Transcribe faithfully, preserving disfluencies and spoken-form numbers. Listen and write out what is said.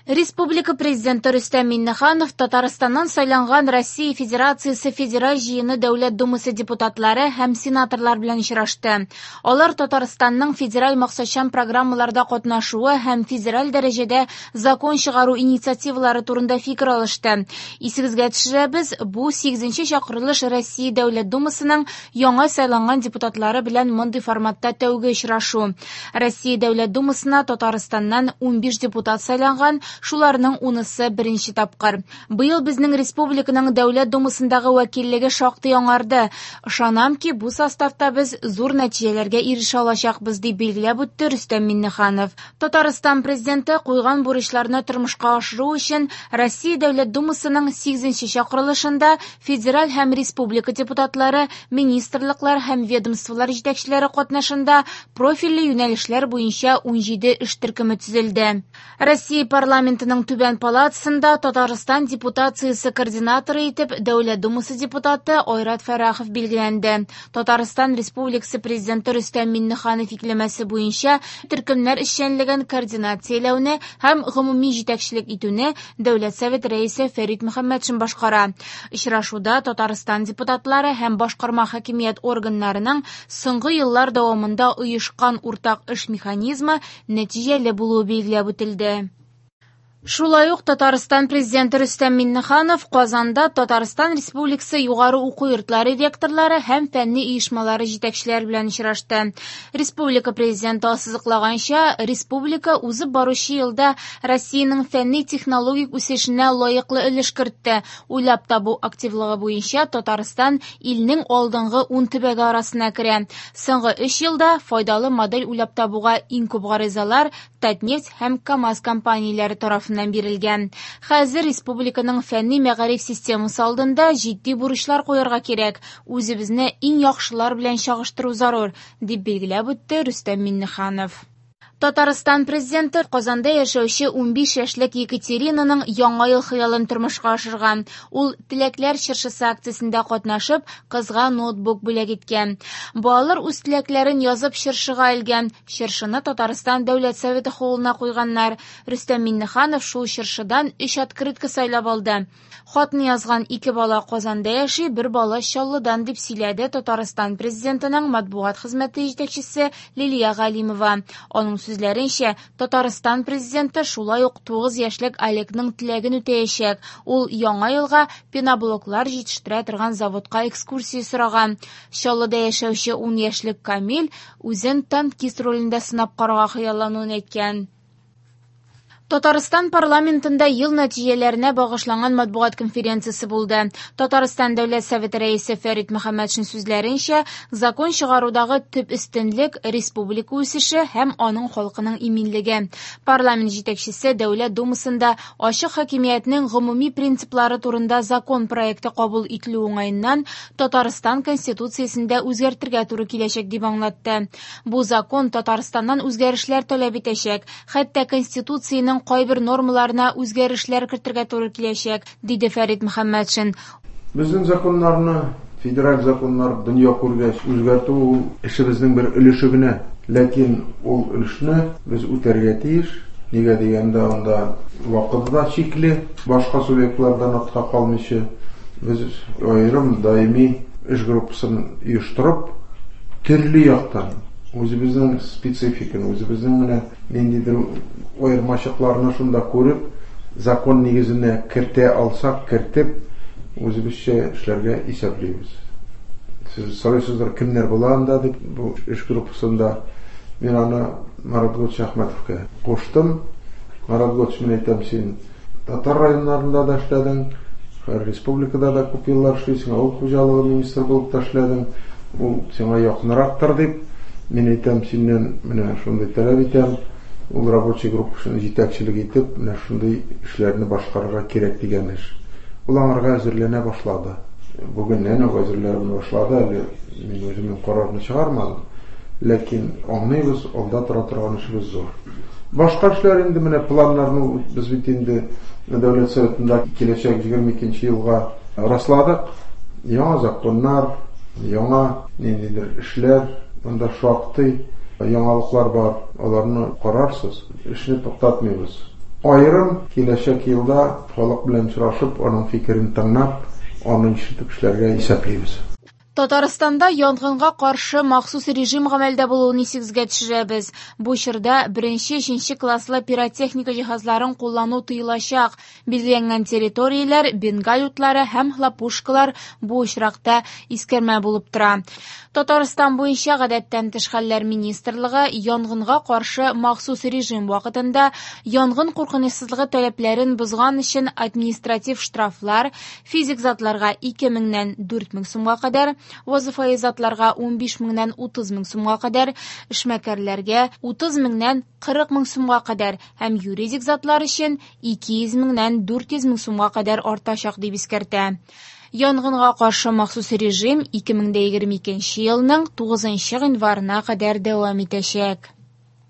Республика Президенты Рөстәм Миңнеханов Татарстаннан сайланган Россия Федерациясе Федераль Җыены Дәүләт Думасы депутатлары һәм сенаторлар белән очрашты. Алар Татарстанның федераль максатчан программаларда катнашуы һәм федераль дәрәҗәдә закон чыгару инициативалары турында фикер алышты. Исегезгә төшерәбез, бу сигезенче чакырылыш Россия Дәүләт Думасының яңа сайланган депутатлары белән мондый форматта тәүге очрашу. Россия Дәүләт Думасына Татарстаннан унбиш депутат сайланган, шуларның унысы беренче тапкыр. Быел безнең республиканың Дәүләт Думасындагы вәкиллеге шактый яңарды. Ышанам ки, бу составта без зур нәтиҗәләргә ирешә алачакбыз, дип билгеләп үтте Рөстәм Миңнеханов. Татарстан президенты куйган бурычларны тормышка ашыру өчен Россия Дәүләт Думасының сигезенче чакырылышында федераль һәм республика депутатлары, министрлыклар һәм ведомстволар җитәкчеләре катнашында профильле юнәлешләр буенча унҗиде эш төркеме төзелде. Россия парламентының түбән палатасында Татарстан депутациясе координаторы итеп Дәүләт Думасы депутаты Айрат Фәррахов билгеләнде. Татарстан Республикасы Президенты Рөстәм Миңнеханов йөкләмәсе буенча төркемнәр эшчәнлеген координацияләүне һәм гомуми җитәкчелек итүне Дәүләт Советы рәисе Фәрит Мөхәммәтшин башкара. Очрашуда Татарстан депутатлары һәм башкарма хакимият органнарының соңгы еллар дәвамында оешкан уртак эш механизмы нәтиҗәле булуы билгеләп үтелде. Шулай ук Татарстан Президенты Рөстәм Миңнеханов Казанда Татарстан Республикасы югары уку йортлары ректорлары һәм фәнни оешмалары җитәкчеләре белән очрашты. Республика Президенты ассызыклаганча, республика узып баручы елда Россиянең фәнни-технологик үсешенә лаеклы өлеш кертте. Уйлап табу активлыгы буенча Татарстан илнең алдынгы ун төбәге арасына керә. Соңгы өч елда файдалы модель уйлап табуга иң күп гаризалар Татнефть һәм КАМАЗ компанияләре тарафыннан бирелгән. Хәзер республиканың фәнни мәгариф системасы алдында җитди бурычлар куярга кирәк. Үзебезне иң яхшылар белән чагыштыру зарур, дип билгеләп үтте Рөстәм Миңнеханов. Татарстан Президенты Казанда яшәүче унбиш яшьлек Екатеринаның яңа ел хыялын тормышка ашырган. Ул Теләкләр чыршысы акциясендә катнашып, кызга ноутбук бүләк иткән. Балалар үз теләкләрен язып чыршыга элгән. Чыршыны Татарстан Дәүләт Советы холлына куйганнар. Рөстәм Миңнеханов шул чыршыдан өч открытка сайлап алды. Хатны язган ике бала Казанда яши, бер бала Чаллыдан, дип сөйләде Татарстан Президентының матбугат хезмәте җитәкчесе Лилия Галимова. Аның сүзләренчә, Татарстан Президенты шулай ук тугыз яшьлек Олегның теләген үтәячәк. Ул яңа елга пеноблоклар җитештерә торган заводка экскурсия сораган. Чаллыда яшәүче ун яшьлек Камил үзен танкист ролендә сынап карарга хыяллануын әйткән. Татарстан парламентында ел нәтиҗәләренә багышланган матбугат конференциясе булды. Татарстан Дәүләт Советы рәисе Фәрит Мөхәммәтшин сүзләренчә, закон чыгарудагы төп өстенлек республика үсеше һәм аның халкының иминлеге. Парламент җитәкчесе Дәүләт Думасында ачык хакимиятнең гомуми принциплары турында закон проекты кабул ителү уңаеннан Татарстан Конституциясендә үзгәртергә туры киләчәк дип аңлатты. Бу закон Татарстаннан үзгәрешләр таләп итәчәк, хәтта Конституциянең кайбер нормаларына үзгәрешләр кертергә туры киләчәк, диде Фәрит Мөхәммәтшин. Безнең законнарны, федераль законнар дөнья күргәч үзгәртү ул эшебезнең бер өлеше генә. Ләкин ул өлешне без үтәргә тиеш. Нигә дигәндә, анда вакыты да чикле, башка субъектлардан артка калмыйча без аерым даими эш группасын оештырып, төрле яктан үзебезнең спецификаны, үзебезнең менә ниндидер аермачыкларны шунда күреп, закон нигезенә кертә алсак, кертеп, үзебезчә эшләргә исәплибез. Сез сорыйсыздыр, кемнәр була анда дип, бу эш группасында мин аны Марат Готович Әхмәтовка куштым. Марат Готович, мин әйтәм, син татар районнарында да эшләдең, республикада да күп еллар эшлисең, авыл хуҗалыгы министры булып та эшләдең, ул сиңа якынрактыр дип, мин әйтәм, синнән менә шундый таләп итәм, ул рабочий группасын җитәкчелек итеп, менә шундый эшләрне башкарырга кирәк дигән эш. Ул аңарга әзерләнә башлады. Бүгеннән үк әзерләнә башлады, әле мин үземнең карарны чыгармадым. Ләкин аңлыйбыз, алда тора торган эшебез зур. Башка эшләр инде менә планнарны без бит инде Дәүләт Советында киләчәк егерме икенче елга расладык. Яңа законнар, яңа ниндидер эшләр, монда шактый яңалыклар бар, аларны карарсыз. Эшне туктатмыйбыз. Аерым киләчәк елда халык белән очрашып, аның фикерен тыңлап, аны ишетеп эшләргә исәплибез. Татарстанда янгынга каршы махсус режим гамәлдә булуын исегезгә төшерәбез. Бу чорда беренче-өченче класслы пиротехника җиһазларын куллану тыелачак. Билгеләнгән территорияләр, бенгаль утлары һәм хлопушкалар бу очракта искәрмә булып тора. Татарстан буенча Гадәттән тыш хәлләр министрлыгы янгынга каршы махсус режим вакытында янгын куркынычсызлыгы таләпләрен бозган өчен административ штрафлар физик затларга ике меңнән дүрт мең сумга кадәр, вазифаи затларга унбиш меңнән утыз мең сумга кадәр, эшмәкәрләргә утыз меңнән кырык мең сумга кадәр һәм юридик затлар өчен ике йөз меңнән дүрт йөз мең сумга кадәр артачак дип искәртә. Янгынга каршы махсус режим ике мең дә егерме икенче елның тугызынчы гыйнварына кадәр дәвам итәчәк.